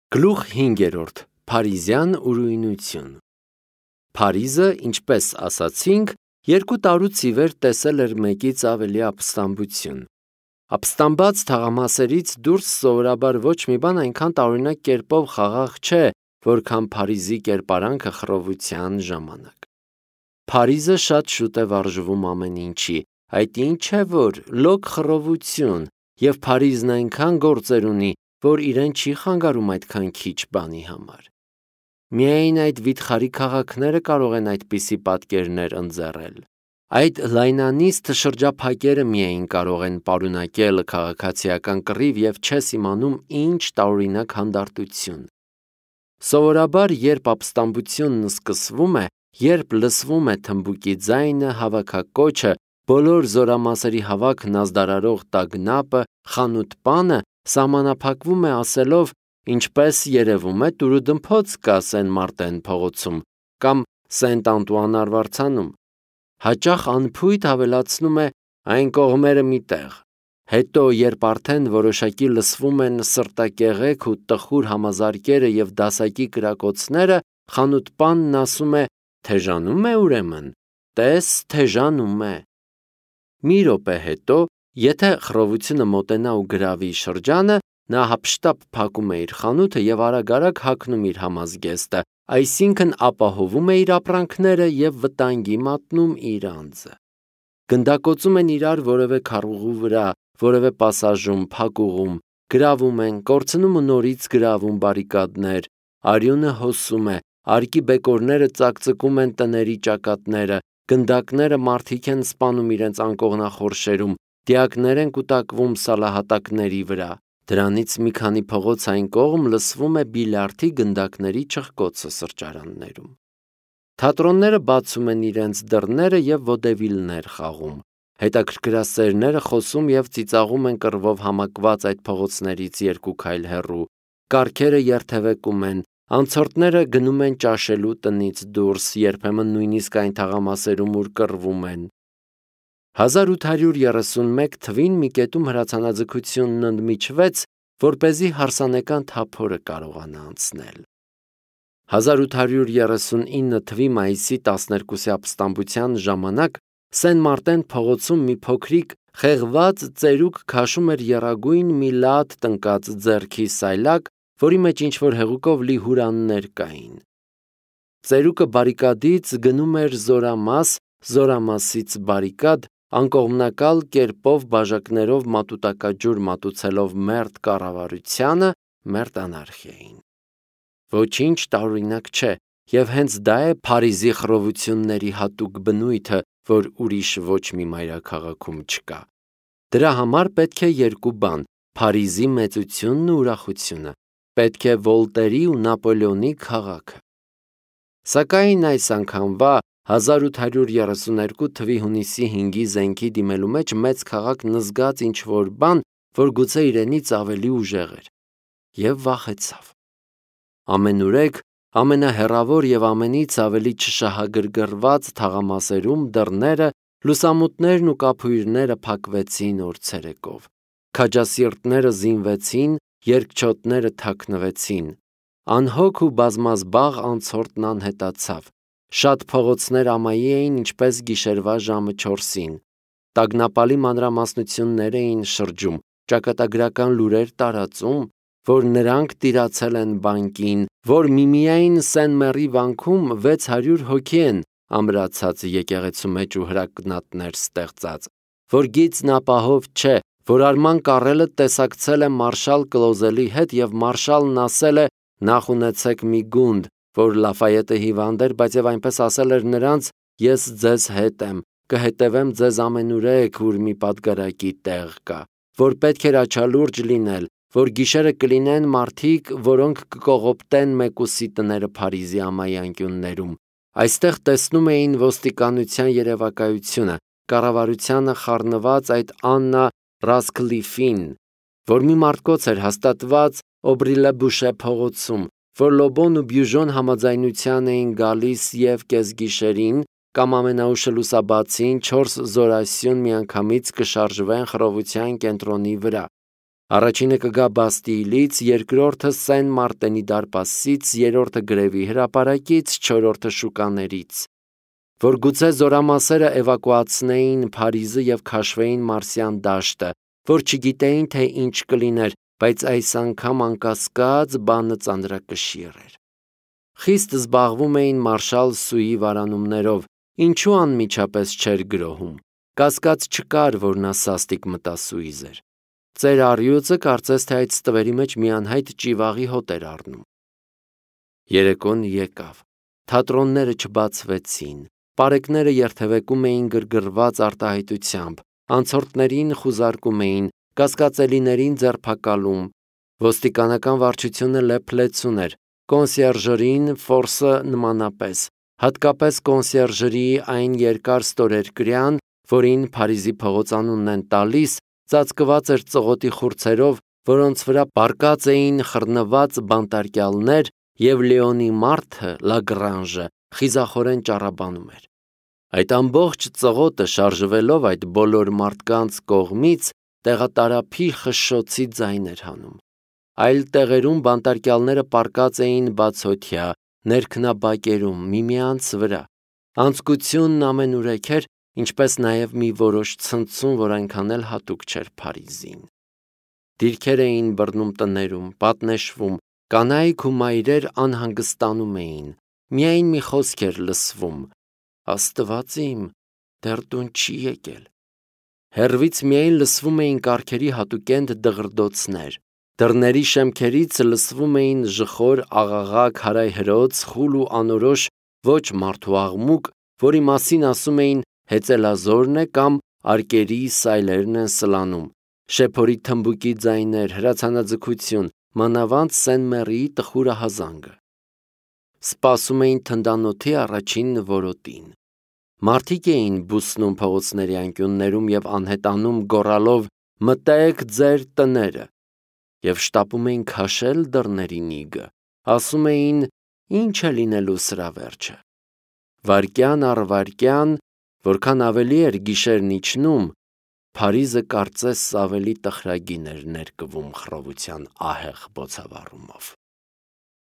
Գլուխ 5. Փարիզյան ուրույնություն։ Փարիզը, ինչպես ասացինք, 2 տարուց ի վեր տեսել էր մեկից ավելի ապստամբություն։ Ապստամբած թաղամասերից դուրս սովորաբար ոչ մի բան այնքան տարօրինակ կերպով խաղաղ չէ, որքան Փարիզի կերպարանքը խռովության ժամանակ։ Փարիզը շատ շուտ է վարժվում ամեն ինչի, այդ ինչ է, որ լոկ խռովություն, եւ Փարիզն այնքան գործեր ունի, որ իրեն չի խանգարում այդքան քիչ բանի համար։ Միայն այդ վիթխարի քաղաքները կարող են այդպիսի պատկերներ ընձեռել։ Այդ լայնանիստ շրջափակերը միայն կարող են պարունակել քաղաքացիական կռիվ եւ չես իմանում ինչ տարօրինակ հանդարտություն։ Սովորաբար, երբ ապստամբությունն սկսվում է, երբ լսվում է թմբուկի ձայնը, հավաքակոչը, բոլոր զորամասերի հավաքն ազդարարող տագնապը, խանութ-պանը սահմանափակվում է ասելով, ինչպես երևում է, տուրուդմփոց կա Սեն Մարտեն փողոցում կամ Սենտ Անտուան արվարձանում։ Հաճախ անփույթ ավելացնում է այն կողմերը մի տեղ։ Հետո, երբ արդեն որոշակի լսվում են սրտակեղեք ու տխուր համազարկերը եւ դասակի կրակոցները, խանութ-պանն ասում է. «Թեժանում է ուրեմն, տես թեժանում է»։ Մի րոպե հետո, եթե խռովությունը մոտենա ու գրավի շրջանը, նա հափշտապ փակում է իր խանութը եւ արագ-արագ հագնում իր համազգեստը, այսինքն ապահովում է իր ապրանքները եւ վտանգի մատնում իր անձը։ Գնդակոծում են իրար որևէ քառուղու վրա, որևէ պասաժում, փակուղում, գրավում են, կորցնում ու նորից գրավում բարիկադներ, արյունը հոսում է, արկի բեկորները ծակծկում են տների ճակատները, գնդակները մարդիկ են սպանում իրենց անկողնախորշերում, դիակներ են կուտակվում սալահատակների վրա։ Դրանից մի քանի փողոց այն կողմ լսվում է բիլիարդի գնդակների չխկոցը սրճարաններում։ Թատրոնները բացում են իրենց դռները եւ ոդևիլներ խաղում։ Հետաքրքրասերները խոսում եւ ծիծաղում են կռվով համակված այդ փողոցներից 2 քայլ հեռու։ Կառքերը երթևեկում են, անցորդները գնում են ճաշելու տնից դուրս, երբեմն նույնիսկ այն թաղամասերում, ուր կռվում են։ 1831 թվին մի կետում հրացանաձգությունն ընդմիջվեց, որպեսզի հարսանեկան թափորը կարողանա անցնել։ 1839 թվի մայիսի 12-ի ապստամբության ժամանակ Սեն Մարտեն փողոցում մի փոքրիկ խեղված ծերուկ քաշում էր եռագույն մի լատ տնկած ձեռքի սայլակ, որի մեջ ինչ-որ հեղուկով լի հուրաններ կային։ Ծերուկը բարիկադից գնում էր զորամաս, զորամասից բարիկադ, անկողմնակալ կերպով բաժակներով մատուտակաջուր մատուցելով մերթ կառավարությանը, մերթ անարխիային։ Ոչինչ տարօրինակ չէ, եւ հենց դա է Փարիզի խռովությունների հատուկ բնույթը, որ ուրիշ ոչ մի մայրաքաղաքում չկա։ Դրա համար պետք է 2 բան՝ Փարիզի մեծությունն ու ուրախությունը, պետք է Վոլտերի ու Նապոլեոնի քաղաքը։ Սակայն այս անգամվա 1832 թվի հունիսի 5-ի զենքի դիմելու մեջ մեծ քաղաքն զգաց ինչ-որ բան, որ գուցե իրենից ավելի ուժեղ էր, եւ վախեցավ։ Ամենուրեք, ամենահեռավոր եւ ամենից ավելի չշահագրգռված թաղամասերում դռները, լուսամուտներն ու կափույրները փակվեցին օր ցերեկով։ Քաջասիրտները զինվեցին, երկչոտները թաքնվեցին։ Անհոգ ու բազմազբաղ անցորդն անհետացավ։ Շատ փողոցներ ամայի էին, ինչպես գիշերվա ժամը 4-ին։ Տագնապալի մանրամասնություններ էին շրջում, ճակատագրական լուրեր տարածում, որ նրանք տիրացել են բանկին, որ միմիայն Սեն-Մերի վանքում 600 հոգի են ամրացած եկեղեցու մեջ ու հրակնատներ ստեղծած, որ գիծն ապահով չէ, որ Արման Կարելը տեսակցել է մարշալ Կլոզելի հետ եւ մարշալն ասել է. «Նախ ունեցեք մի գունդ, որ Լաֆայետը հիվանդ էր, բայց եւ այնպես ասել էր նրանց. ես ձեզ հետ եմ, կհետևեմ ձեզ ամենուրեք, ուր մի պատգարակի տեղ կա, որ պետք էր աչալուրջ լինել, որ գիշերը կլինեն մարդիկ, որոնք կկողոպտեն մեկուսի տները Փարիզի ամայի անկյուններում»։ Այստեղ տեսնում էին ոստիկանության երևակայությունը, կառավարությանը խառնված այդ Աննա Ռասկլիֆին, որ մի մարդկոց էր հաստատված Օբրիլեբուշե փողոցում, որ Լոբոն ու Բյուժոն համաձայնության էին գալիս եւ կեսգիշերին կամ ամենաուշը լուսաբացին 4 զորասյուն միանգամից կշարժվեն խռովության կենտրոնի վրա։ Առաջինը կգա Բաստիլից, երկրորդը Սեն Մարտենի դարպասից, երրորդը գրևի հրապարակից, չորրորդը շուկաներից, որ գուցե զորամասերը էվակուացնեին Փարիզը եւ քաշվեին Մարսյան դաշտը, որ չգիտեին, թե ինչ կլիներ, բայց այս անգամ անկասկած բանը ծանրակշիռ էր։ Խիստ զբաղվում էին մարշալ Սուի վարանումներով, ինչու անմիջապես չէր գրոհում։ Կասկած չկար, որ նա սաստիկ մտասուիզ էր։ Ծեր առյուծը կարծես թե այդ ստվերի մեջ մի անհայտ ճիվաղի հոտ էր առնում։ Երեկոն եկավ։ Թատրոնները չբացվեցին, պարեկները երթևեկում էին գրգռված արտահայտությամբ, անցորդներին խուզարկում էին, կասկածելիներին ձերբակալում, ոստիկանական վարչությունը լեփլեցուն էր, կոնսիերժերին ֆորսը նմանապես, հատկապես կոնսիերժերի այն երկար ստորերկրյան, որին Փարիզի փողոց անունն են տալիս, ծածկված էր ծղոտի խուրձերով, որոնց վրա պառկած էին խռնված բանտարկյալներ, եւ Լեոնի մարդը, Լագրանժը, խիզախորեն ճառաբանում էր։ Այդ ամբողջ ծղոտը շարժվելով այդ բոլոր մարդկանց կողմից տեղատարափի խշշոցի ձայն էր հանում։ Այլ տեղերում բանտարկյալները պառկած էին բացօթյա, ներքնաբակերում, միմյանց վրա։ Անձկությունն ամենուրեք էր, ինչպես նաև մի որոշ ցնցում, որ այնքան էլ հատուկ չէր Փարիզին։ Դիրքեր էին բռնում տներում, պատնեշվում, կանայք ու մայրեր անհանգստանում էին։ Միայն մի խոսք էր լսվում. «Աստված իմ, դեռ տուն չի եկել»։ Հեռվից միայն լսվում էին կառքերի հատուկենտ դղրդոցներ։ Դռների շեմքերից լսվում էին ժխոր աղաղակ հարայհրոց, խուլ ու անորոշ ոչ մարդու աղմուկ, որի մասին ասում էին հեծելազորն է կամ արկերի սայլերն են սլանում, շեփորի թմբուկի ձայներ, հրացանաձգություն, մանավանդ Սեն-Մեռիի տխուր ահազանգը։ Սպասում էին թնդանոթի առաջին որոտին։ Մարդիկ էին բուսնում փողոցների անկյուններում եւ անհետանում գոռալով «Մտեք ձեր տները» եւ շտապում էին քաշել դռների նիգը, ասում էին «Ինչ է լինելու սրա վերջը»։ Վայրկյան առ վայրկյան, որքան ավելի էր գիշերն իջնում, Փարիզը կարծես ավելի տխրագին էր ներկվում խռովության ահեղ բոցավառումով։